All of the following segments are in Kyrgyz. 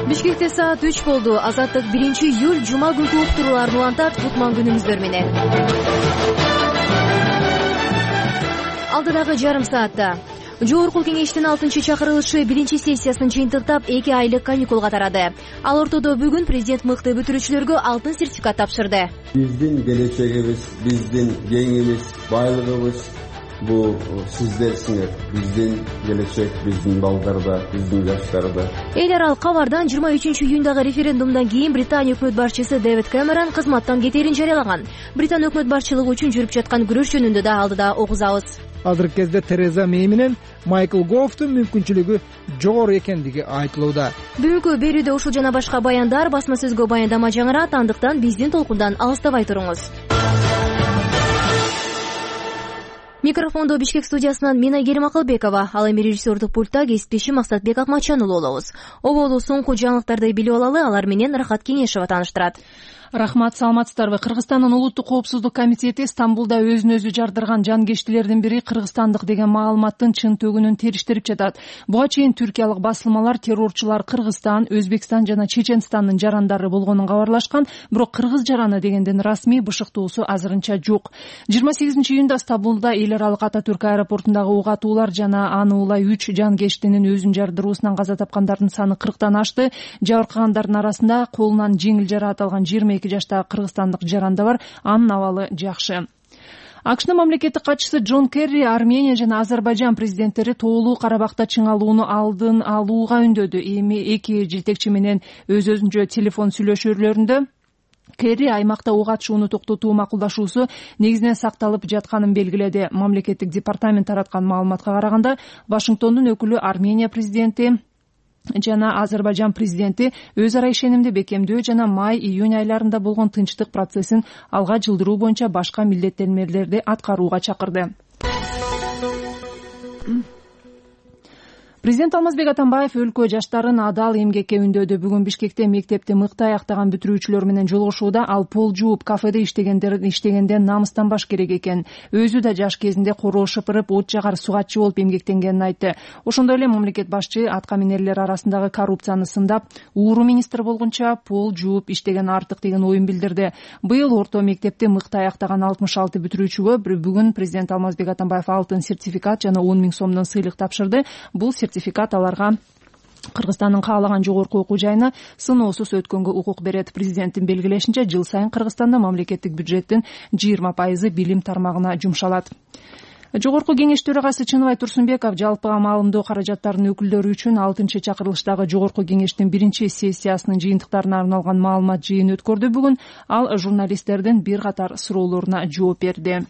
Бишкекте саат 3 болду. Азаттык 1-июль жума күнкү уктурууларды улантат. Кутман күнүңүздөр менен. Алдыдагы жарым саатта Жогорку кеңештин 6-чакырылышы 1-сессиясын жыйынтыктап 2 айлык каникулга тарады. Ал ортодо бүгүн президент мыкты бүтүрүүчүлөргө алтын сертификат тапшырды. Биздин келечегибиз, биздин кеңибиз, байлыгыбыз бул сиздерсиңер. Биздин келечек, биздин балдарда, биздин жаштарда. Эл аралык кабардан 23-июндагы референдумдан кийин Британия өкмөт башчысы Дэвид Кэмерон кызматтан кетээрин жарыялаган. Британ өкмөт башчылыгы үчүн жүрүп жаткан күрөш жөнүндө да алдыда огузабыз. Азыркы кезде Тереза Мэй менен Майкл Гофтун мүмкүнчүлүгү жогору экендиги айтылууда. Бүгүнкү берүүдө ушул жана башка баяндар, басма сөзгө баяндама жаңырат, андыктан биздин толкундан алыстабай туруңуз. Микрофондо Бишкек студиясынан мен Айгерим Акылбекова, ал эми режиссердук пультта кесиптешим Максатбек Акматжанұлы болобуз. Оболу соңку жаңылыктарды билип алалы, алар менен Рахат Кеңешева тааныштырат. Рахмат, саламатсыздарбы? Кыргызстандын улуттук коопсуздук комитети Стамбулда өзүн өзү жардырган жангечтилердин бири кыргызстандык деген маалыматтын чын төгүнүн териштирип жатат. Буга чейин түркиялык басылмалар террорчулар Кыргызстан, Өзбекстан жана Чеченстандын жарандары болгонун кабарлашкан, бирок кыргыз жараны дегенден расмий бышыктоосу азырынча жок. 28-июнда Стамбулда эл аралык Ататүрк аэропортундагы ук атуулар жана аны улай 3 жангечтинин өзүн жардыруусунан каза тапкандардын саны 40тан ашты. Жабыркагандардын арасында колунан жеңил жараат алган 22 жаштагы кыргызстандык жаранда бар, анын абалы жакшы. АКШнын мамлекеттик катчысы Джон Керри Армения жана Азербайжан президенттери тоолуу Карабакта чыңалууну алдын алууга үндөдү. Эми эки жетекчи менен өз-өзүнчө телефон сүйлөшүүлөрүндө Керри аймакта ок атышууну токтотуу макулдашуусу негизинен сакталып жатканын белгиледи. Мамлекеттик департамент тараткан маалыматка караганда, Вашингтондун өкүлү Армения президенти жана Азербайжан президенти өз ара ишенимди бекемдөө жана май-июнь айларында болгон тынчтык процессин алга жылдыруу боюнча башка милдеттенмелерди аткарууга чакырды. Президент Алмазбек Атамбаев өлкө жаштарын адал эмгекке үндөдү. Бүгүн Бишкекте мектепти мыкты аяктаган бүтүрүүчүлөр менен жолугушууда ал пол жууп кафеде иштегенде намыстанбаш керек экен. Өзү да жаш кезинде короо шыпырып, от жагар сугатчы болуп эмгектенгенин айтты. Ошондой эле мамлекет башчы атка минерлер арасындагы коррупцияны сындап, ууру министр болгонча пол жууп иштеген артык деген оюн билдирди. Быйыл орто мектепти мыкты аяктаган 66 бүтүрүүчүгө бүгүн президент Алмазбек Атамбаев алтын сертификат жана 10 000 сомдон сыйлык тапшырды. Бул сертификат аларга Кыргызстандын каалаган жогорку окуу жайына сыноосуз өткөнгө укук берет. Президенттин белгилешинче, жыл сайын Кыргызстанда мамлекеттик бюджеттин 20% билим тармагына жумшалат. Жогорку кеңеш төрагасы Чыныбай Турсунбеков жалпыга маалымдоо каражаттарынын өкүлдөрү үчүн 6-чакырылыштагы Жогорку кеңештин 1-сессиясынын жыйынтыктарына арналган маалымат жыйын өткөрдү. Бүгүн ал журналисттердин бир катар суроолоруна жооп берди.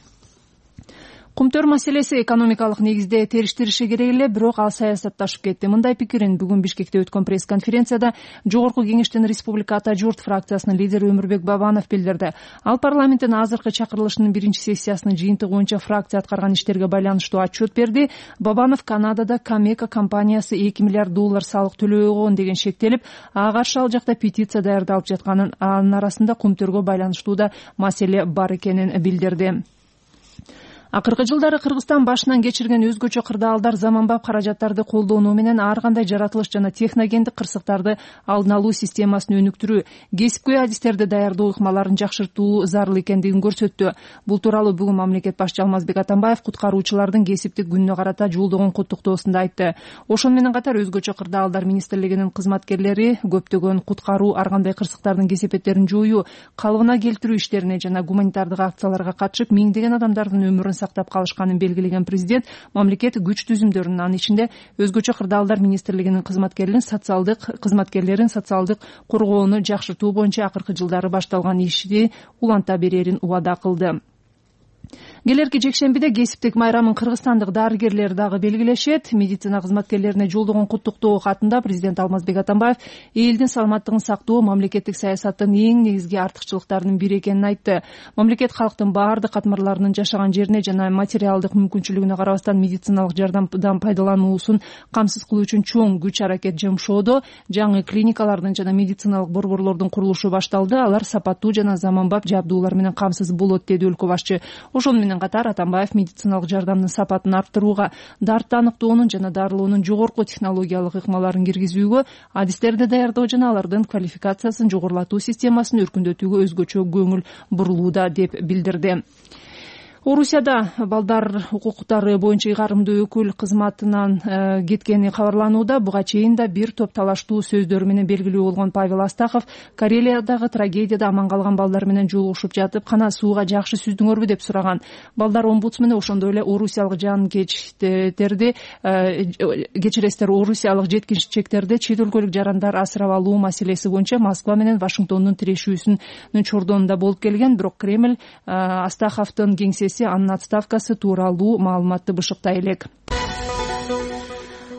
Кумтөр маселеси экономикалык негизде териштириши керек эле, бирок ал саясатташып кетти. Мындай пикирин бүгүн Бишкекте өткөн пресс-конференцияда Жогорку кеңештин Республика Ата журт фракциясынын лидери Өмүрбек Бабанов билдирди. Ал парламенттин азыркы чакырылышынын 1-сессиясынын жыйынтыгы боюнча фракция аткарган иштерге байланыштуу отчет берди. Бабанов Канадада Камека компаниясы $2 миллиард салык төлөгөн деген шектелип, ага каршы ал жакта петиция даярдалып жатканын, анын арасында кумтөргө байланыштуу да маселе бар экенин билдирди. Акыркы жылдары Кыргызстан башынан кечирген өзгөчө кырдаалдар заманбап каражаттарды колдонуу менен ар кандай жаратылыш жана техногендик кырсыктарды алдын алуу системасын өнүктүрүү, кесипкөй адистерди даярдоо ыкмаларын жакшыртуу зарыл экендигин көрсөттү. Бул тууралуу бүгүн мамлекет башчы Алмазбек Атамбаев куткаруучулардын кесиптик күнүнө карата жолдогон куттуктоосунда айтты. Ошону менен катар өзгөчө кырдаалдар министрлигинин кызматкерлери көптөгөн куткаруу, ар кандай кырсыктардын кесепеттерин жоюу, калыбына келтирүү иштерине жана гуманитардык акцияларга катышып, миңдеген адамдардын өмүрүн сактап калышканын белгилеген президент мамлекет күч түзүмдөрүнүн, анын ичинде өзгөчө кырдаалдар министрлигинин кызматкерлерин социалдык коргоону жакшыртуу боюнча акыркы жылдары башталган ишти уланта берерин убада кылды. Келерки жекшембиде кесиптик майрамын кыргызстандык дарыгерлер дагы белгилешет. Медицина кызматкерлерине жолдогон куттуктоо катында президент Алмазбек Атамбаев элдин саламаттыгын сактоо мамлекеттик саясаттын эң негизги артыкчылыктарынын бири экенин айтты. Мамлекет калктын баардык катмарларынын жашаган жерине жана материалдык мүмкүнчүлүгүнө карабастан медициналык жардамдан пайдалануусун камсыз кылуу үчүн чоң күч аракет жумшоодо. Жаңы клиникалардын жана медициналык борборлордун курулушу башталды. Алар сапаттуу жана заманбап жабдуулар менен камсыз болот, деди өлкө башчы. Ошону менен менен катар Атамбаев медициналык жардамдын сапатын арттырууга, дартты аныктоонун жана дарылоонун жогорку технологиялык ыкмаларын киргизүүгө, адистерди даярдоо жана алардын квалификациясын жогорулатуу системасын өркүндөтүүгө өзгөчө көңүл бурулууда деп билдирди. Орусияда балдар укуктары боюнча ыйгарымдуу өкүл кызматынан кеткени кабарланууда. Буга чейин да бир топ талаштуу сөздөр менен белгилүү болгон Павел Астахов Карелиядагы трагедияда аман калган балдар менен жолугушуп жатып, кана сууга жакшы сүздүңөрбү деп сураган. Балдар омбудсмени ошондой эле орусиялык орусиялык жеткинчектерди чет өлкөлүк жарандар асырап алуу маселеси боюнча Москва менен Вашингтондун тирешүүсүнүн чордонунда болуп келген. Бирок Кремль Астаховдун кеңсеси анын отставкасы тууралуу маалыматты бышыктай элек.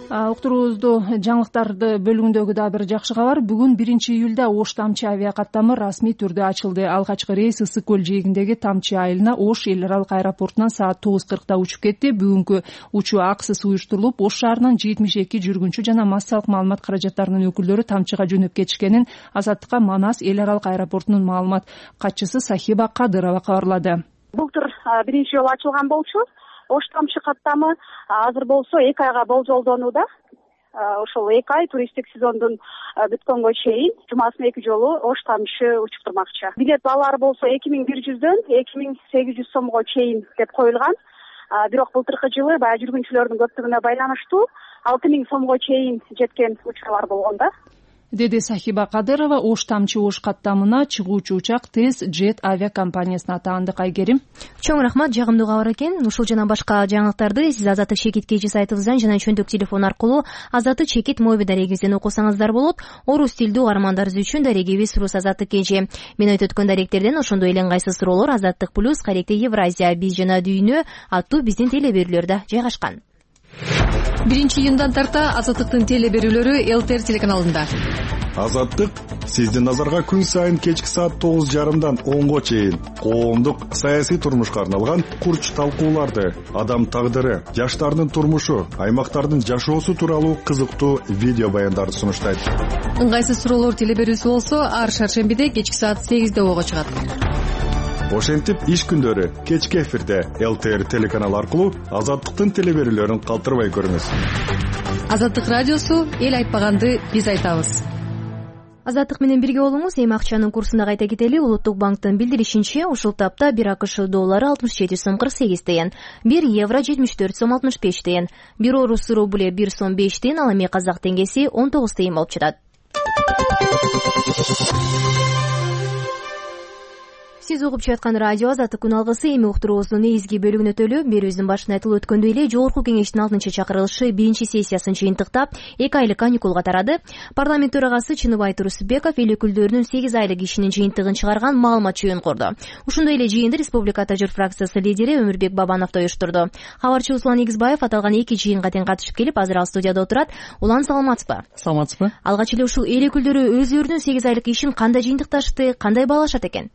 Уктуруубузду жаңылыктарды бөлүгүндөгү дагы бир жакшы кабар. Бүгүн 1-июлда Ош Тамчы авиакаттамы расмий түрдө ачылды. Алгачкы рейс Ысык көл жээгиндеги Тамчы айылына Ош эл аралык аэропортунан саат 9:40 учуп кетти. Бүгүнкү учуу акысыз уюштурулуп, Ош шаарынан 72 жүргүнчү жана массалык маалымат каражаттарынын өкүлдөрү Тамчыга жөнөп кетишкенин Азаттыкка Манас эл аралык аэропортунун маалымат катчысы Сахиба Кадырова кабарлады. Былтыр 1-инчи жолу ачылган болчу. Ош Тамчы каттамы азыр болсо 2 айга болжолдонууда. Ошол 2 ай туристтик сезондун бүткөнгө чейин жумасына 2 жолу Ош Тамчы учуп турмакчы. Билет баалары болсо 2100дөн 2800 сомго чейин деп коюлган. Бирок былтыркы жылы баягы жүргүнчүлөрдүн көптүгүнө байланыштуу 6000 сомго чейин жеткен учурлар болгон да, деди Сахиба Кадырова. Ош Тамчы Ош каттамына чыгуучу учак Тез Джет авиакомпаниясына атаанды. Кайгерим, чоң рахмат, жагымдуу кабар экен. Ушул жана башка жаңылыктарды сиз Азаттык Чекит кежи сайтыбыздан жана чөндүк телефон аркылуу Азаттык Чекит моби дарегибизден окусаңыздар болот. Орус тилдүү угармандарыбыз үчүн дарегибиз Рус Азаттык кежи. Мен айтып өткөн даректерден ошондой эле ыңгайсыз суроолор Азаттык плюс, Каректе Евразия, биз жана дүйнө аттуу биздин теле берүүлөрдө жайгашкан. 1-июндан тарта Азаттыктын теле берүүлөрү ЛТР телеканалында. Азаттык сиздин назарга күн сайын кечки саат 9:30дан 10го чейин коомдук саясий турмушка арналган курч талкууларды, адам тагдыры, жаштардын турмушу, аймактардын жашоосу тууралуу кызыктуу видео баяндарды сунуштайт. Ыңгайсыз суроолор теле берүүсү болсо ар шаршембиде кечки саат 8де ого чыгат. Ошентип иш күндөрү кечки эфирде ЛТР телеканалы аркылуу Азаттыктын теле берүүлөрүн калтырбай көрүңүз. Азаттык радиосу эл айтпаганды биз айтабыз. Азаттык менен бирге болуңуз. Эми акчанын курсуна кайта кетели. Улуттук банктын билдиришинче, ушул тапта 1 АКШ доллары 67 сом 48 тыйын, 1 евро 74 сом 65 тыйын, 1 орус рубле 1 сом 5 тыйын, ал эми казак теңгеси 19 тыйын болуп жатат. Сиз угуп жаткан радио Азаттык күн алгысы. Эми уктуруубуздун негизги бөлүгүнө өтөлүп, берүүбүздүн башында айтылып өткөндөй эле Жогорку кеңештин 6-чакырылышы 1-чи сессиясын жыйынтыктап 2 айлык каникулга тарады. Парламент төрагасы Чыныбай Турусбеков эл өкүлдөрүнүн 8 айлык ишинин жыйынтыгын чыгарган маалымат чөйүн курду. Ошондой эле жыйынды Республика Тажыр фракциясы лидери Өмүрбек Бабанов да уюштурду. Кабарчы Услан Игизбаев аталган 2 жыйынга тең катышып келип, азыр ал студияда отурат. Улан, саламатсызбы? Саламатсызбы. Алгач эле ушул эл өкүлдөрү өздөрүнүн 8 айлык ишин кандай жыйынтыкташты, кандай баалашат экен?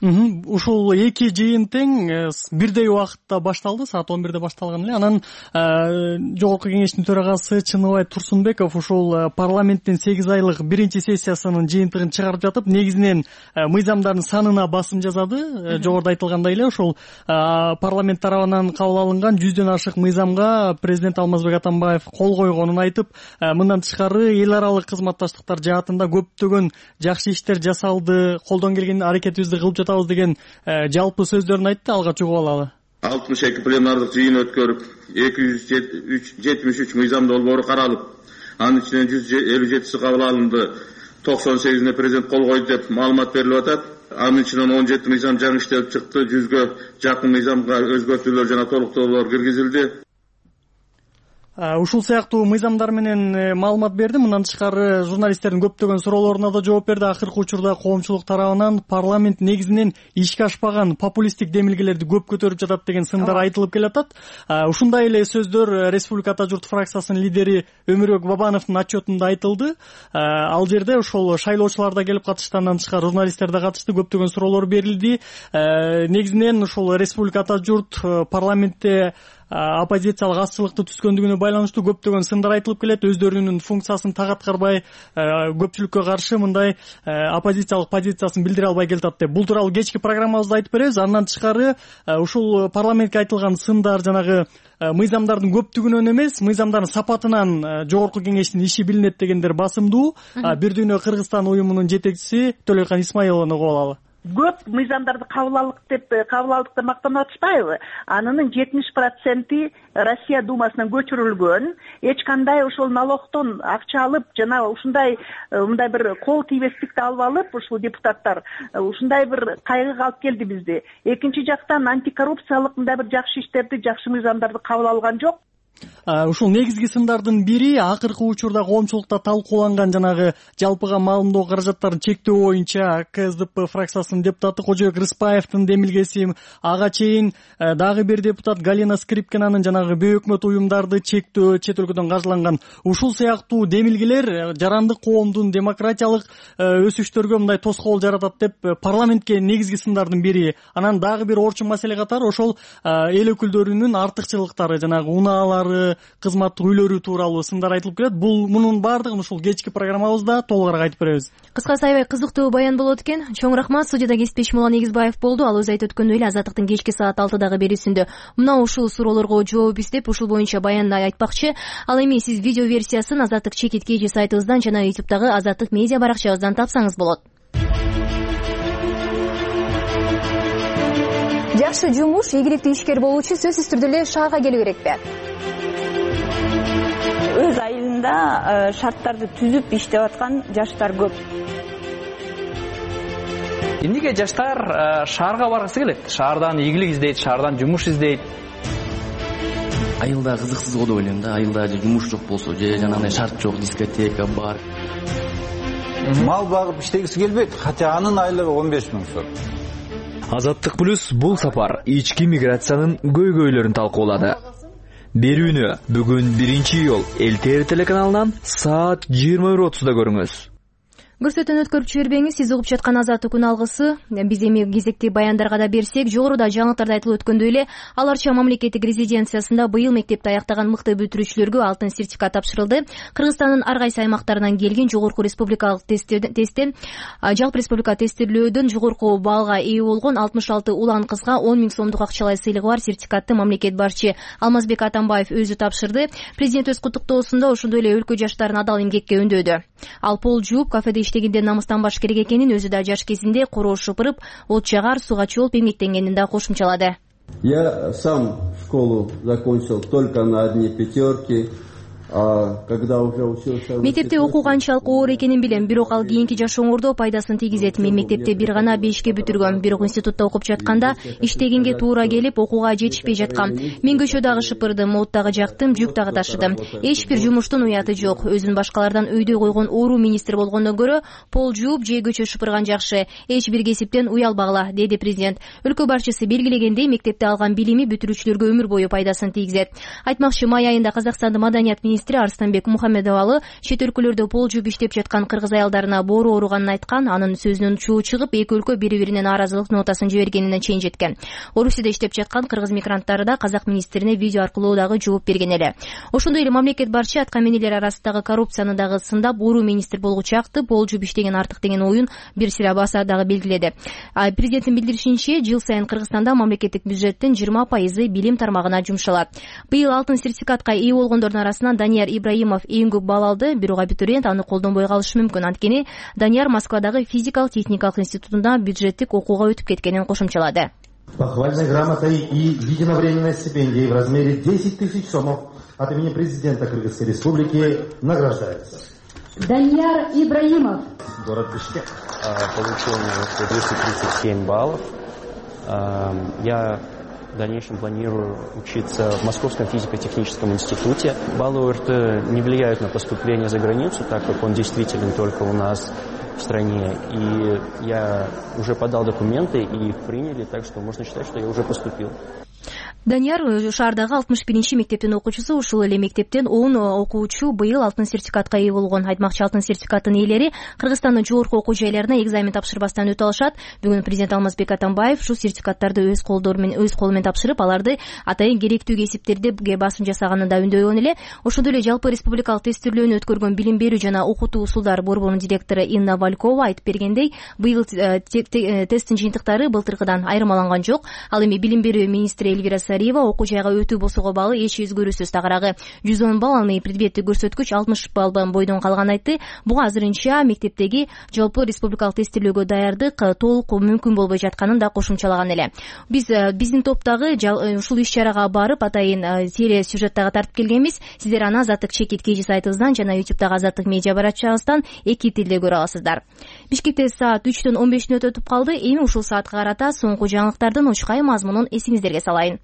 Ушул 2 жыйын тең бирдей убакытта башталды, саат 11де башталган эле. Анан Жогорку кеңештин төрагасы Чыныбай Турсунбеков ушул парламенттин 8 айлык 1-чи сессиясынын жыйынтыгын чыгарып жатып, негизинен мыйзамдардын санына басым жасады. Жогоруда айтылгандай эле ушул парламент тарабынан кабыл алынган 100дөн ашык мыйзамга президент Алмазбек Атамбаев кол койгонун айтып, мындан тышкары эл аралык кызматташтыктар жаатында көптөгөн жакшы иштер жасалды, колдон келген аракетибизди кылып жатабыз деген жалпы сөздөрүн айтты. Алгач угуп алалы. 62 пленардык жыйын өткөрүп, 273 мыйзам долбоору каралып, анын ичинен 157си кабыл алынды, 98ине президент кол койду деп маалымат берилип атат. Анын ичинен 17 мыйзам жаңы иштелип чыкты, 100гө жакын мыйзамга өзгөртүүлөр жана толуктоолор киргизилди. Ушул сыяктуу мыйзамдар менен маалымат берди. Мындан тышкары журналисттердин көптөгөн суроолоруна да жооп берди. Акыркы учурда коомчулук тарабынан парламент негизинен ишке ашпаган популисттик демилгелерди көп көтөрүп жатат деген сындар айтылып келатат. Ушундай эле сөздөр Республика Журт фракциясынын лидери Өмүрбек Бабановдун отчетунда айтылды. Ал жерде ошол шайлоочулар да келип катышты, андан тышкары журналисттер да катышты, көптөгөн суроолор берилди. Негизинен ушул Республика Журт парламентте оппозициялык азчылыкты түзгөндүгүнө байланыштуу көптөгөн сындар айтылып келет. Өздөрүнүн функциясын так аткарбай, көпчүлүккө каршы мындай оппозициялык позициясын билдире албай келатат деп. Бул тууралуу кечки программабызда айтып беребиз. Андан тышкары ушул парламентке айтылган сындар жанагы мыйзамдардын көптүгүнөн эмес, мыйзамдардын сапатынан жогорку кеңештин иши билинет дегендер басымдуу. Бир дүйнө Кыргызстан уюмунун жетекчиси Төлөйкан Исмаиловну угуп алалы. Көп мыйзамдарды кабыл алдык деп мактанып атышпайбы? Анын 70% Россия Думасынан көчүрүлгөн. Эч кандай ошол налогтон акча алып, жана ушундай мындай бир кол тийбестикти алып алып, ушул депутаттар ушундай бир кайгыга алып келди бизди. Экинчи жактан антикоррупциялык мындай бир жакшы иштерди, жакшы мыйзамдарды кабыл алган жок. Ушул негизги сындардын бири акыркы учурда коомчулукта талкууланган жанагы жалпыга маалымдоо каражаттарын чектөө боюнча КСДП фракциясынын депутаты Кожоек Рыспаевдин демилгеси. Ага чейин дагы бир депутат Галина Скрипкинанын жанагы бейөкмөт уюмдарды чектөө, чет өлкөдөн каржыланган. Ушул сыяктуу демилгелер жарандык коомдун демократиялык өсүштөргө мындай тоскоол жаратат деп парламентке негизги сындардын бири. Анан дагы бир орчун маселе катары ошол эл өкүлдөрүнүн артыкчылыктары, жанагы унаалары, кызматтык үйлөрү тууралуу сындар айтылып келет. Мунун баардыгын ушул кечки программабызда толугураак айтып беребиз. Кыскасы аябай кызыктуу баян болот экен. Чоң рахмат. Студияда кесиптешим Улан Эгизбаев болду. Ал өзү айтып өткөндөй эле Азаттыктын кечки саат 6дагы берүүсүндө мына ушул суроолорго жооп издеп, ушул боюнча баянды айтпакчы. Ал эми сиз видео версиясын Азаттык чекит KG сайтыбыздан жана YouTube'дагы Азаттык медиа баракчабыздан тапсаңыз болот. Жакшы жумуш, ийгиликтүү ишкер болуу үчүн сөзсүз түрдө эле шаарга келүү керекпи? Өз айылында шарттарды түзүп иштеп аткан жаштар көп. Эмнеге жаштар шаарга баргысы келет? Шаардан ийгилик издейт, шаардан жумуш издейт. Айылда кызыксыз го деп ойлойм да. Айылда жумуш жок болсо, же жанагындай шарт жок, дискотека бар. Мал багып иштегиси келбейт, хотя анын айлыгы 15 000 сом. Азаттык плюс бул сапар ички миграциянын көйгөйлөрүн талкуулады. Берүүнү бүгүн 1-июль эл телеканалынан саат 21:30да көрүңүз. Көрсөтөн өткөрүп жибербеңиз. Сиз угуп жаткан Азаттык күн алгысы. Биз эми кезекти баяндарга да берсек, жогоруда жаңылыктарда айтылып өткөндөй эле, аларча мамлекеттик резиденциясында быйыл мектепти аяктаган мыкты бүтүрүүчүлөргө алтын сертификат тапшырылды. Кыргызстандын ар кайсы аймактарынан келген жогорку республикалык тесттен жалпы республика тестилөөдөн жогорку баллга ээ болгон 66 улан кызга 10 000 сомдук акчалай сыйлыгы бар сертификатты мамлекет башчы Алмазбек Атамбаев өзү тапшырды. Президент өз куттуктоосунда ошондой эле өлкө жаштарын адал эмгекке үндөдү. Ал пол жууп, кафеде иштегенде намыстанбаш керек экенин, өзү да жаш кезинде короо шыпырып, от жагар, суга чолуп эмгектенгенин да кошумчалады. Я сам школу закончил только на одни пятерки. Мектепте окуу канчалык оор экенин билем, бирок ал кийинки жашооңордо пайдасын тийгизет. Мен мектепте бир гана 5ке бүтүргөм, бирок институтта окуп жатканда иштегенге туура келип, окууга жетишпей жаткам. Мен көчө дагы шыпырдым, от дагы жактым, жүк дагы ташыдым. Эч бир жумуштун уяты жок. Өзүн башкалардан өйдөй койгон оору министр болгондон көрө пол жууп же көчө шыпырган жакшы. Эч бир кесиптен уялбагыла, деди президент. Өлкө башчысы белгилегендей, мектепте алган билими бүтүрүүчүлөргө өмүр бою пайдасын тийгизет. Айтмакчы, май айында Казакстандын маданият министри Арстанбек Мухаммедовалы чет өлкөлөрдө пол жууп иштеп жаткан кыргыз аялдарына боору ооруганын айткан. Анын сөзүнөн чуу чыгып, эки өлкө бири-биринен нааразылык нотасын жибергенине чейин жеткен. Орусияда иштеп жаткан кыргыз мигранттары да казак министрине видео аркылуу дагы жооп берген эле. Ошондой эле мамлекет башчы аткаминерлер арасындагы коррупцияны дагы сындап, оору министр болгучакты пол жууп иштеген артык деген оюн бир сыйра баса дагы белгиледи. Президенттин билдиришинче, жыл сайын Кыргызстанда мамлекеттик бюджеттин 20% билим тармагына жумшалат. Быйыл алтын сертификатка ээ болгондордун арасынан Данияр Ибраимов эң көп балл алды, бирок абитуриент аны колдонбой калышы мүмкүн. Анткени Данияр Москвадагы физикалык техникалык институтунда бюджеттик окууга өтүп кеткенин кошумчалады. Похвальной грамотой и единовременной стипендией в размере 10 000 сомов от имени президента Кыргызской Республики награждается. Данияр Ибраимов. Город Бишкек. Получил 237 баллов. Я в дальнейшем планирую учиться в Московском физико-техническом институте. Баллы ОРТ не влияют на поступление за границу, так как он действителен только у нас в стране. И я уже подал документы, и их приняли, так что можно считать, что я уже поступил. Данияр шаардагы 61 мектептин окуучусу. Ушул эле мектептен 10 окуучу быйыл алтын сертификатка ээ болгон. Айтмакчы, алтын сертификаттын ээлери Кыргызстандын жогорку окуу жайларына экзамен тапшырбастан өтө алышат. Бүгүн президент Алмазбек Атамбаев ушул сертификаттарды өз колу менен тапшырып, аларды атайын керектүү кесиптерге басым жасаганын да үндөйгөн эле. Ошондой эле жалпы республикалык тестирлөөнү өткөргөн Билим берүү жана окутуу усулдары борборунун директору Инна Валькова айтып бергендей, быйыл тесттин жыйынтыктары былтыркыдан айырмаланган жок. Ал эми Билим берүү министри Эльвира Сариева окуу жайга өтүү болсого багы эч өзгөрүүсүз тагыраагы 110 балл, ал эми предметтик көрсөткүч 60 баллдан бойдон калганын айтты. Буга азырынча мектептеги жалпы республикалык тестирлөөгө даярдык толук мүмкүн болбой жатканын да кошумчалаган эле. Биздин топтогу ушул иш-чарага барып атайын теле сюжеттага тартып келгенбиз. Сиздер аны Азаттык чекит KG сайтыбыздан жана YouTube'дагы Азаттык медиа баракчабыздан эки тилде көрө аласыздар. Бишкекте саат 3-төн 15 мүнөт өтүп калды. Эми ушул саатка карата соңку жаңылыктардын учкай мазмунун эсиңиздерге салайын.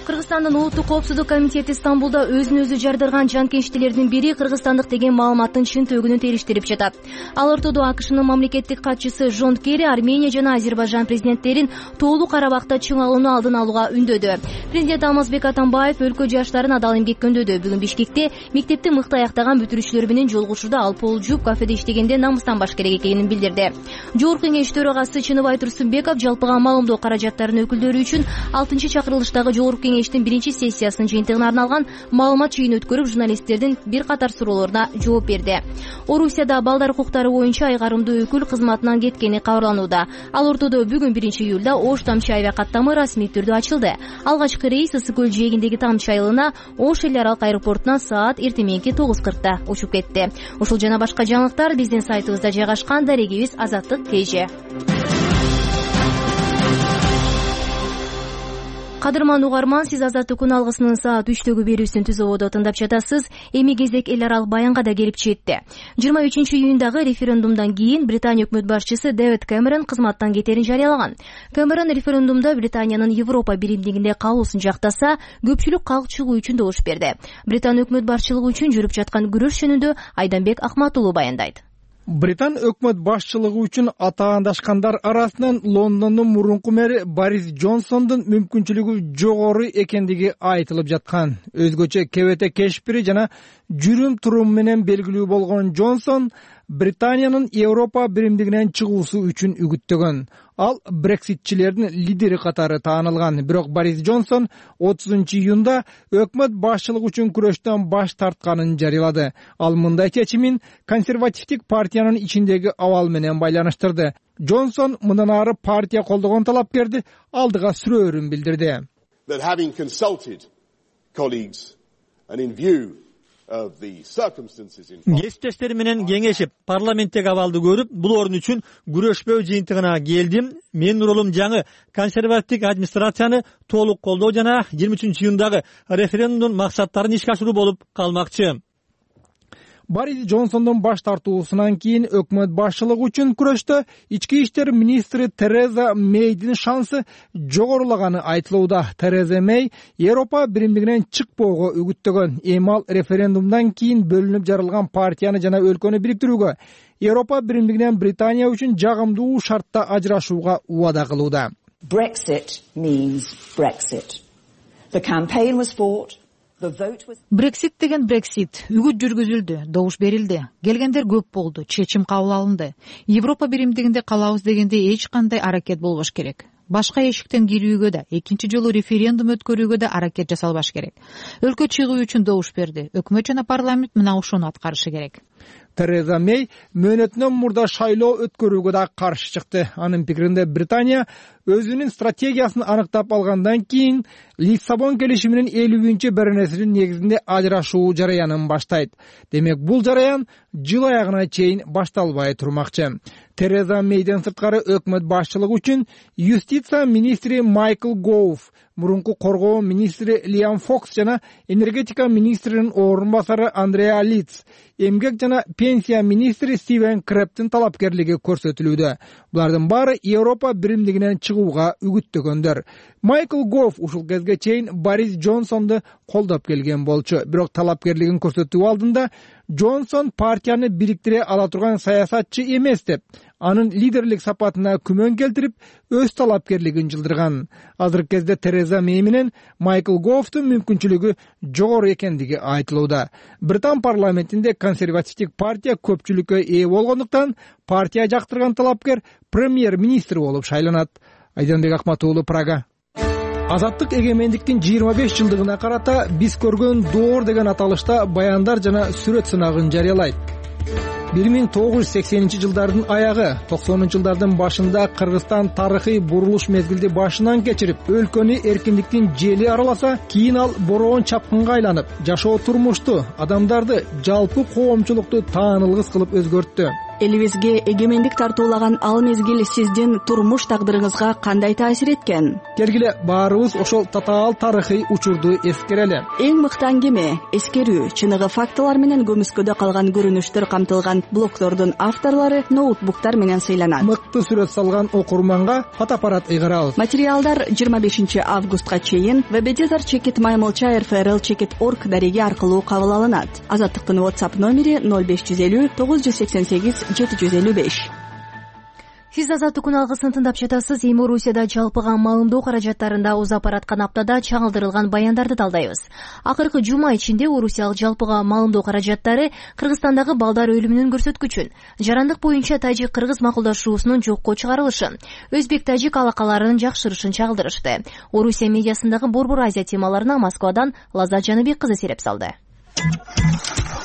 Кыргызстандын Улуттук коопсуздук комитети Стамбулда өзүн өзү жардырган жанкечтилердин бири кыргызстандык деген маалыматтын чынтөөгүнүн териштирип жатат. Ал ортодо АКШнын мамлекеттик катчысы Жон Керри Армения жана Азербайжан президенттерин тоолуу Карабакта чыңалууну алдын алууга үндөдү. Президент Алмазбек Атамбаев өлкө жаштарын адал эмгекке үндөдү. Бүгүн Бишкекте мектепти мыкты аяктаган бүтүрүүчүлөр менен жолугушууда ал пол жууп кафеде иштегенде намыстанбаш керек экенин билдирди. Жогорку кеңеш төрагасы Чыныбай Турсунбеков жалпыга маалымдоо каражаттарынын өкүлдөрү үчүн 6-чакырылыштагы жогорку кеңештин биринчи сессиясынын жыйынтыгына арналган маалымат жыйын өткөрүп, журналисттердин бир катар суроолоруна жооп берди. Орусияда балдар укуктары боюнча айгарымдуу өкүл кызматынан кеткени кабарланууда. Ал ортодо бүгүн 1-июлда Ош Тамчы аябай каттамы расмий түрдө ачылды. Алгачкы рейс Ысык көл жээгиндеги Тамчы айылына Ош эл аралык аэропортуна саат эртең 9:40 учуп кетти. Ушул жана башка жаңылыктар биздин сайтыбызда жайгашкан. Дарегибиз Азаттык KG. Кадырман угарман, сиз Азаттык алгысынын саат 3-төгү берүүсүн түзөбодо тыңдап жатасыз. Эми кезек эл аралык баянга да келип жетти. 23-июндагы референдумдан кийин Британия өкмөт башчысы Дэвид Кэмерон кызматтан кетерин жарыялаган. Кэмерон референдумда Британиянын Европа биримдигинде калуусун жактаса, көпчүлүк калып чыгуу үчүн добуш берди. Британ өкмөт башчылыгы үчүн жүрүп жаткан күрөш жөнүндө Айданбек Акматулуу баяндайт. Британ өкмөт башчылыгы үчүн атаандашкандар арасынан Лондондун мурунку мэри Борис Джонсондун мүмкүнчүлүгү жогору экендиги айтылып жаткан. Өзгөчө кебете кешпири жана жүрүм-турум менен белгилүү болгон Джонсон Британиянын Европа биримдигинен чыгуусу үчүн үгүттөгөн. Ал брекситчилердин лидери катары таанылган. Бирок Борис Джонсон 30-июнда өкмөт башчылыгы үчүн күрөштөн баш тартканын жарыялады. Ал мындай чечимин консервативдик партиянын ичиндеги абал менен байланыштырды. Джонсон мындан ары партия колдогон талапкерди алдыга сүрөөрүн билдирди. Кесиптештери менен кеңешип, парламенттеги абалды көрүп, бул орун үчүн күрөшпөө жыйынтыгына келдим. Менин ролум жаңы консервативдик администрацияны толук колдоо жана 23-июндагы референдумдун максаттарын ишке ашыруу болуп калмакчы. Борис Джонсондун баш тартуусунан кийин өкмөт башчылыгы үчүн күрөштө ички иштер министри Тереза Мейдин шансы жогорулаганы айтылууда. Тереза Мей Европа биримдигинен чыкпоого үгүттөгөн. Эми ал референдумдан кийин бөлүнүп жарылган партияны жана өлкөнү бириктирүүгө, Европа биримдигинен Британия үчүн жагымдуу шартта ажырашууга убада кылууда. Brexit means Brexit. The campaign was fought. Брексит деген Брексит. Үгүт жүргүзүлдү, добуш берилди. Келгендер көп болду, чечим кабыл алынды. Европа биримдигинде калабыз дегенде эч кандай аракет болбош керек. Башка эшиктен кирүүгө да, экинчи жолу референдум өткөрүүгө да аракет жасалбаш керек. Өлкө чыгуу үчүн добуш берди. Өкмөт жана парламент мына ошону аткарышы керек. Тереза Мей мөөнөтүнөн мурда шайлоо өткөрүүгө да каршы чыкты. Анын пикиринде Британия өзүнүн стратегиясын аныктап алгандан кийин Лиссабон келишиминин 50-беренесинин негизинде ажырашуу жараянын баштайт. Демек бул жараян жыл аягына чейин башталбай турмакчы. Тереза Мейден сырткары өкмөт башчылыгы үчүн юстиция министри Майкл Гоуф, мурунку коргоо министри Лиам Фокс жана энергетика министринин орун басары Андреа Литц, эмгек жана пенсия министри Стивен Крэптин талапкерлиги көрсөтүлүүдө. Булардын баары Европа биримдигинен чыгууга үгүттөгөндөр. Майкл Гоуф ушул кезге чейин Борис Джонсонду колдоп келген болчу. Бирок талапкерлигин көрсөтүү алдында Джонсон партияны бириктире ала турган саясатчы эмес деп, анын лидерлик сапатына күмөн келтирип, өз талапкерлигин жылдырган. Азыркы кезде Тереза Мэй менен Майкл Гофтун мүмкүнчүлүгү жогору экендиги айтылууда. Британ парламентинде консервативдик партия көпчүлүккө ээ болгондуктан партия жактырган талапкер премьер-министр болуп шайланат. Айданбек Акматуулу, Прага. Азаттык эгемендиктин 25 жылдыгына карата биз көргөн доор деген аталышта баяндар жана сүрөт сынагын жарыялайт. 1980-жылдардын аягы, 90-жылдардын башында Кыргызстан тарыхый бурулуш мезгилди башынан кечирип, өлкөнү эркиндиктин жели араласа, кийин ал бороон чапкынга айланып, жашоо турмушту, адамдарды, жалпы коомчулукту таанылгыс кылып өзгөрттү. Элибизге эгемендик тартуулаган ал мезгил сиздин турмуш тагдырыңызга кандай таасир эткен? Келгиле баарыбыз ошол татаал тарыхый учурду эскерели. Эң мыкты аңгеме, эскерүү, чыныгы фактылар менен көмүскөдө калган көрүнүштөр камтылган блогдордун авторлору ноутбуктар менен сыйланат. Мыкты сүрөт салган окурманга фотоаппарат ыйгарабыз. Материалдар 25 августка чейин www.mlcha.rfrl.org дареги аркылуу кабыл алынат. Азаттыктын WhatsApp номери 0550 988 755. Сиз Азаттык күн алгысын тыңдап жатасыз. Эми Орусияда жалпыга маалымдоо каражаттарында узап бараткан аптада чагылдырылган баяндарды талдайбыз. Акыркы жума ичинде орусиялык жалпыга маалымдоо каражаттары Кыргызстандагы балдар өлүмүнүн көрсөткүчүн, жарандык боюнча тажик-кыргыз макулдашуусунун жокко чыгарылышын, өзбек-тажик алакаларынын жакшырышын чагылдырышты. Орусия медиасындагы Борбор Азия темаларына Москвадан Лаззат Жаныбек кызы сереп салды.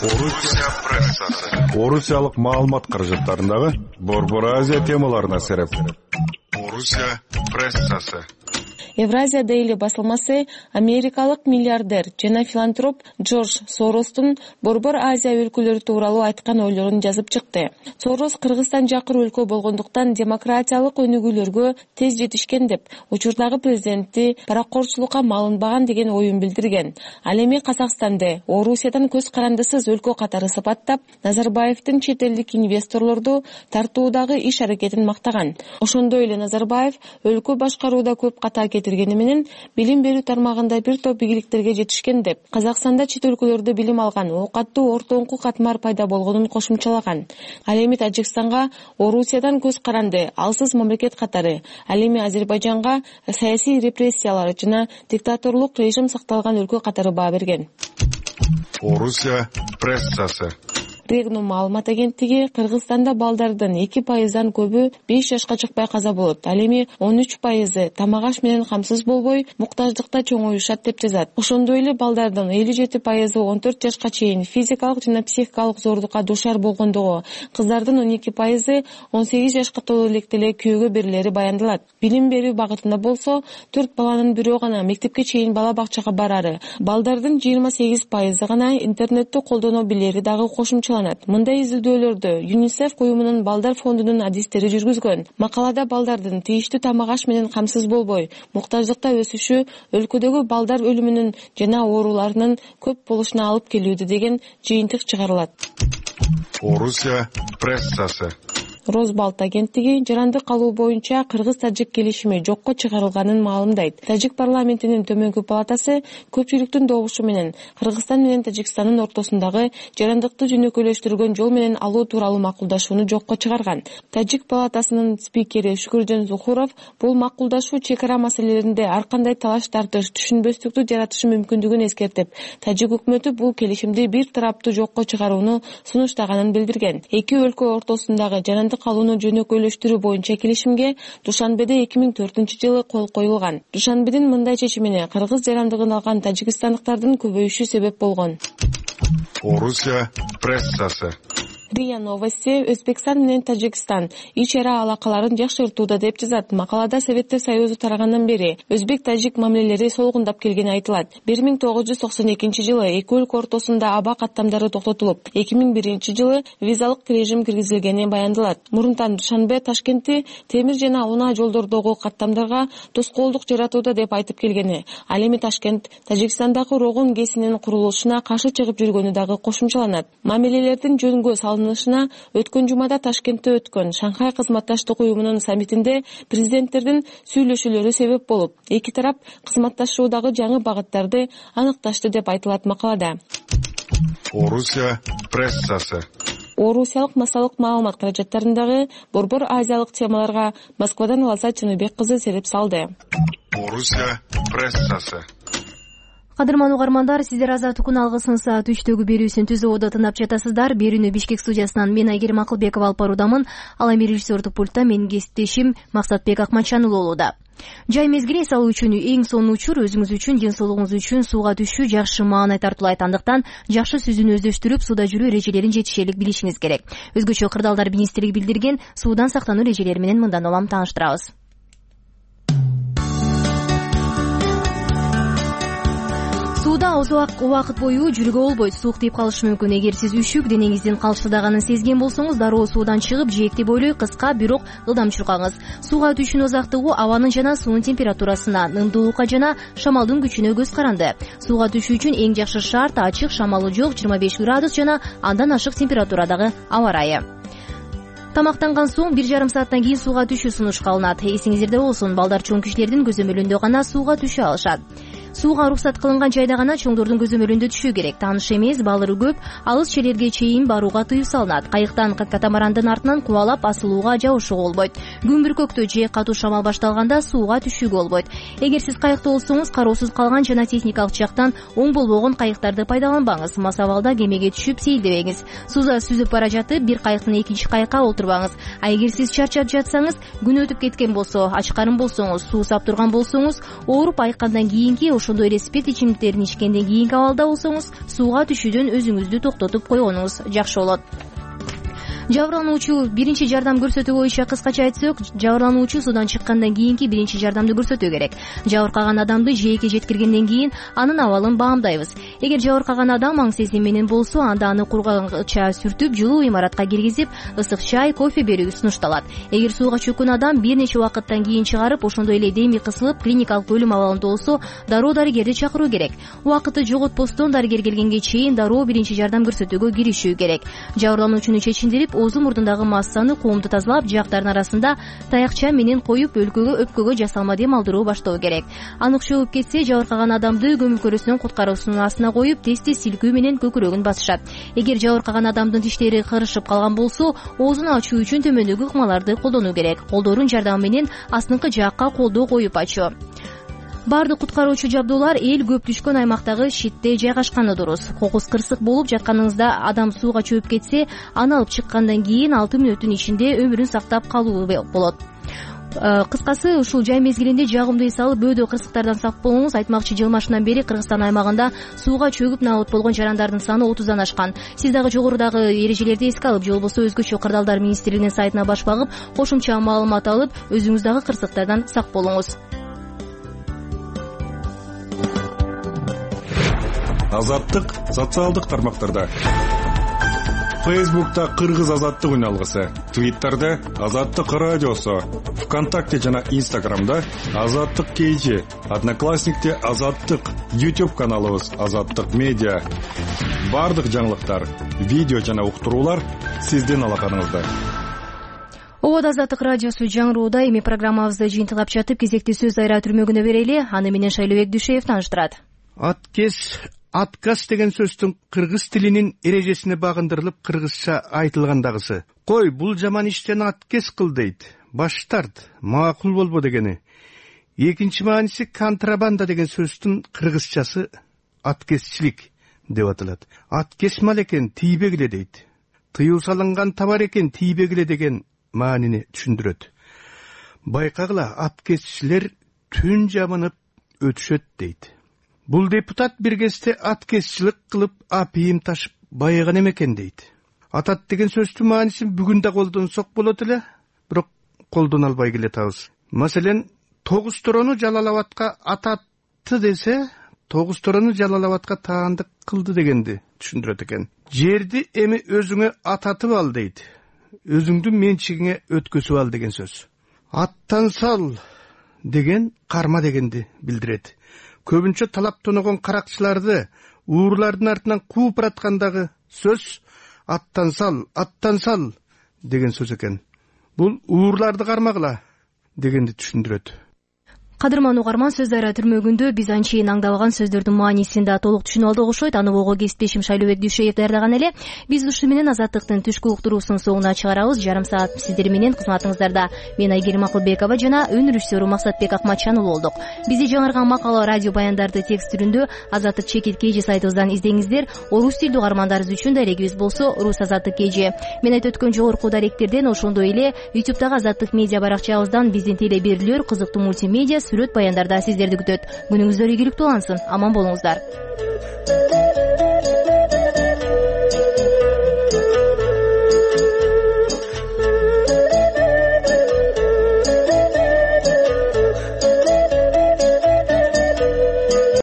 Орусия прессасы. Орусиялык маалымат каражаттарындагы Борбор Азия темаларына сереп. Орусия прессасы. Евразия Дейли басылмасы америкалык миллиардер жана филантроп Джордж Соростун Борбор Азия өлкөлөрү тууралуу айткан ойлорун жазып чыкты. Сорос Кыргызстан жакыр өлкө болгондуктан демократиялык өнүгүүлөргө тез жетишкен деп, учурдагы президенти паракорчулукка малынбаган деген оюн билдирген. Ал эми Казакстанды Орусиядан көз карандысыз өлкө катары сыпаттап, Назарбаевдин чет элдик инвесторлорду тартуудагы иш аракетин мактаган. Ошондой эле Назарбаев өлкө башкарууда көп ката кетиргени менен билим берүү тармагында бир топ ийгиликтерге жетишкен деп, Казакстанда чет өлкөлөрдө билим алган оокаттуу ортоңку катмар пайда болгонун кошумчалаган. Ал эми Тажикстанга Орусиядан көз каранды, алсыз мамлекет катары, ал эми Азербайжанга саясий репрессиялар жана диктаторлук режим сакталган өлкө катары баа берген. Орусия прессасы. Регнум маалымат агенттиги Кыргызстанда балдардын 2%дан көбү 5 жашка чыкпай каза болот. Ал эми 13% тамак-аш менен камсыз болбой, муктаждыкта чоңоюшат деп жазат. Ошондой эле балдардын 57% 14 жашка чейин физикалык жана психикалык зордукка душар болгондугу, кыздардын 12% 18 жашка толо электе эле күйөөгө берилери баяндалат. Билим берүү багытында болсо 4 баланын бирөө гана мектепке чейин бала бакчага барары, балдардын 28% гана интернетти колдоно билери дагы кошумчаланат. Мындай изилдөөлөрдү ЮНИСЕФ уюмунун балдар фондунун адистери жүргүзгөн. Макалада балдардын тийиштүү тамак-аш менен камсыз болбой, муктаждыкта өсүшү өлкөдөгү балдар өлүмүнүн жана ооруларынын көп болушуна алып келүүдө деген жыйынтык чыгарылат. Орусия прессасы. Розбалт агенттиги жарандык алуу боюнча кыргыз-тажик келишими жокко чыгарылганын маалымдайт. Тажик парламентинин төмөнкү палатасы көпчүлүктүн добушу менен Кыргызстан менен Тажикстандын ортосундагы жарандыкты жөнөкөйлөштүргөн жол менен алуу тууралуу макулдашууну жокко чыгарган. Тажик палатасынын спикери Шүкүржөн Зухуров бул макулдашуу чек ара маселелеринде ар кандай талаш тартыш, түшүнбөстүктү жаратышы мүмкүндүгүн эскертип, тажик өкмөтү бул келишимди бир тараптуу жокко чыгарууну сунуштаганын билдирген. Эки өлкө ортосундагы жарандык алууну жөнөкөйлөштүрүү боюнча келишимге Душанбеде 2004-жылы кол коюлган. Душанбедин мындай чечимине кыргыз жарандыгын алган тажикстандыктардын көбөйүшү себеп болгон. Орусия прессасы. РИА Новости Өзбекстан менен Тажикстан ич ара алакаларын жакшыртууда деп жазат. Макалада Советтер Союзу тарагандан бери өзбек-тажик мамилелери солгундап келгени айтылат. 1992-жылы эки өлкө ортосунда аба каттамдары токтотулуп, 2001-жылы визалык режим киргизилгени баяндалат. Мурунтан Душанбе Ташкентти темир жана унаа жолдордогу каттамдарга тоскоолдук жаратууда деп айтып келгени. Ал эми Ташкент Тажикстандагы Рогун ГЭСинин курулушуна каршы чыгып жүргөнү дагы кошумчаланат. Мамилелердин жөнгө салынышына өткөн жумада Ташкентте өткөн Шанхай кызматташтык уюмунун саммитинде президенттердин сүйлөшүүлөрү себеп болуп, эки тарап кызматташуудагы жаңы багыттарды аныкташты деп айтылат макалада. Орусия прессасы. Орусиялык массалык маалымат каражаттарындагы борбор азиялык темаларга Москвадан Лаза Чыныбек кызы сереп салды. Орусия прессасы. Кадырман угармандар, сиздер Азаттыктын алгысын саат 3-төгү берүүсүн түзүүдө тыңдап жатасыздар. Берүүнү Бишкек студиясынан мен Айгерим Акылбекова алып баруудамын. Ал эми режиссердук пультта менин кесиптешим Максатбек Акматчан болууда. Жай мезгили эс алуу үчүн эң сонун учур өзүңүз үчүн, ден соолугуңуз үчүн сууга түшүү жакшы маанай тартуулайт. Андыктан жакшы сүзүүнү өздөштүрүп, сууда жүрүү эрежелерин жетишерлик билишиңиз керек. Өзгөчө кырдаалдар министрлиги билдирген суудан сактануу эрежелери менен мындан улам тааныштырабыз. Сууда узак убакыт бою жүрүүгө болбойт. Суук тийип калышы мүмкүн. Эгер сиз үшүк денеңиздин калчылдаганын сезген болсоңуз, дароо суудан чыгып, жээкти бойлой кыска, бирок ылдам чуркаңыз. Сууга түшүүнүн узактыгы абанын жана суунун температурасына, ымдуулукка жана шамалдын күчүнө көз каранды. Сууга түшүү үчүн эң жакшы шарт ачык, шамалы жок 25 градус жана андан ашык температурадагы аба ырайы. Тамактанган соң 1,5 сааттан кийин сууга түшүү сунушталат. Эсиңиздерде болсун, балдар чоң кишилердин көзөмөлүндө гана сууга түшө алышат. Сууга уруксат кылынган жайда гана чоңдордун көзөмөлүндө түшүү керек. Тааныш эмес, балыры көп, алыс жерлерге чейин барууга тыюу салынат. Кайыктан катамарандын артынан кубалап асылууга, жабышууга болбойт. Күн бүркөктө же катуу шамал башталганда сууга түшүүгө болбойт. Эгер сиз кайыкта болсоңуз, кароосуз калган жана техникалык жактан оң болбогон кайыктарды пайдаланбаңыз. Мас абалда кемеге түшүп сейилдебеңиз. Сууда сүзүп бара жатып, бир кайыктын экинчи кайыкка отурбаңыз. А эгер сиз чарчап жатсаңыз, күн өтүп кеткен болсо, ач карын болсоңуз, суу сап турган болсоңуз, ооруп айыккандан кийинки, ошондой эле спирт ичимдиктерин ичкенден кийинки абалда болсоңуз, сууга түшүүдөн өзүңүздү токтотуп койгонуңуз жакшы болот. Жабырлануучу биринчи жардам көрсөтүү боюнча кыскача айтсак, жабырлануучу суудан чыккандан кийинки биринчи жардамды көрсөтүү керек. Жабыркаган адамды жээкке жеткиргенден кийин анын абалын баамдайбыз. Эгер жабыркаган адам аң сезим менен болсо, анда аны курганча сүртүп, жылуу имаратка киргизип, ысык чай, кофе берүү сунушталат. Эгер сууга чөккөн адам бир нече убакыттан кийин чыгарып, ошондой эле деми кысылып, клиникалык өлүм абалында болсо, дароо дарыгерди чакыруу керек. Убакытты жоготпостон дарыгер келгенге чейин дароо биринчи жардам көрсөтүүгө киришүү керек. Жабырлануучуну чечиндирип, оозу мурдундагы массаны коомду тазалап, жактардын арасында таякча менен коюп, өпкөгө жасалма дем алдыруу баштоо керек. Анык чөгүп кетсе, жабыркаган адамды көмүлкөрүүсүнөн куткаруусунун астына коюп, тез-тез силкүү менен көкүрөгүн басышат. Эгер жабыркаган адамдын тиштери кырышып калган болсо, оозун ачуу үчүн төмөндөгү ыкмаларды колдонуу керек. Колдордун жардамы менен астыңкы жаакка колдоо коюп ачуу. Бардык куткаруучу жабдуулар эл көп түшкөн аймактагы шитте жайгашканы дурус. Кокус кырсык болуп жатканыңызда адам сууга чөп кетсе, аны алып чыккандан кийин 6 мүнөттүн ичинде өмүрүн сактап калуу болот. Кыскасы, ушул жай мезгилинде жагымды эс алып, бөөдө кырсыктардан сак болуңуз. Айтмакчы, жыл башынан бери Кыргызстан аймагында сууга чөгүп набыт болгон жарандардын саны 30дан ашкан. Сиз дагы жогорудагы эрежелерди эске алып, же болбосо өзгөчө кырдаалдар министрлигинин сайтына баш багып, кошумча маалымат алып, өзүңүз дагы кырсыктардан сак болуңуз. Азаттык социалдык тармактарда. Фейсбукта Кыргыз азаттык үналгысы, Твиттерде Азаттык радиосу, ВКонтакте жана Инстаграмда Азаттык KG, Одноклассникте Азаттык, YouTube каналыбыз Азаттык медиа. Бардык жаңылыктар, видео жана уктуруулар сиздин алаканыңызда. Обод Азаттык радиосу жаңырууда. Эми программабызды жыйынтыктап жатып, кезекти сөз айра түрмөгүнө берели. Аны менен Шайлообек Дүйшеев тааныштырат. Отказ деген сөздүн кыргыз тилинин эрежесине багындырылып кыргызча айтылгандагысы. Кой, бул жаман иштен отказ кыл дейт. Баш тарт, макул болбо дегени. Экинчи мааниси контрабанда деген сөздүн кыргызчасы откезчилик деп аталат. Откез мал экен, тийбегиле дейт. Тыюу салынган товар экен, тийбегиле деген маанини түшүндүрөт. Байкагыла, откезчилер түн жамынып өтүшөт дейт. Бул депутат бир кезде откезчилик кылып, апийим ташып байыган экен дейт. Атат деген сөздүн маанисин бүгүн да колдонсок болот эле, бирок колдоно албай келатабыз. Маселен, Тогуз-Торону Жалал-Абадка ататты десе, Тогуз-Торону Жалал-Абадка таандык кылды дегенди түшүндүрөт экен. Жерди эми өзүңө ататып ал дейт. Өзүңдүн менчигиңе өткөзүп ал деген сөз. Аттан сал деген карма дегенди билдирет. Көбүнчө талап тоногон каракчыларды уурлардын артынан кууп бараткандагы сөз аттан сал деген сөз экен. Бул уурларды кармагыла дегенди түшүндүрөт. Кадырман угарман, сөз дайра түрмөгүндө биз анчейин аңдабаган сөздөрдүн маанисин да толук түшүнүп алдык окшойт. Аны болго кесиптешим Шайлообек Дүйшөев даярдаган эле. Биз ушуну менен Азаттыктын түшкү уктуруусунун соңуна чыгарабыз. Жарым саат сиздер менен кызматыңыздарда мен Айгерим Акылбекова жана өн режиссеру Максатбек Акматчанов болдук. Бизди жаңырган макала, радио баяндарды текст түрүндө Азаттык чекит KG сайтыбыздан издеңиздер. Орус тилдүү угармандарыбыз үчүн дарегибиз болсо Рус Азаттык KG. Мен айтып өткөн жогорку даректерден, ошондой эле YouTube'дагы Азаттык медиа баракчабыздан биздин теле берүүлөр, кызыктуу мультимедиа, сүрөт баяндарда сиздерди күтөт. Күнүңүздөр ийгиликтүү улансын. Аман болуңуздар.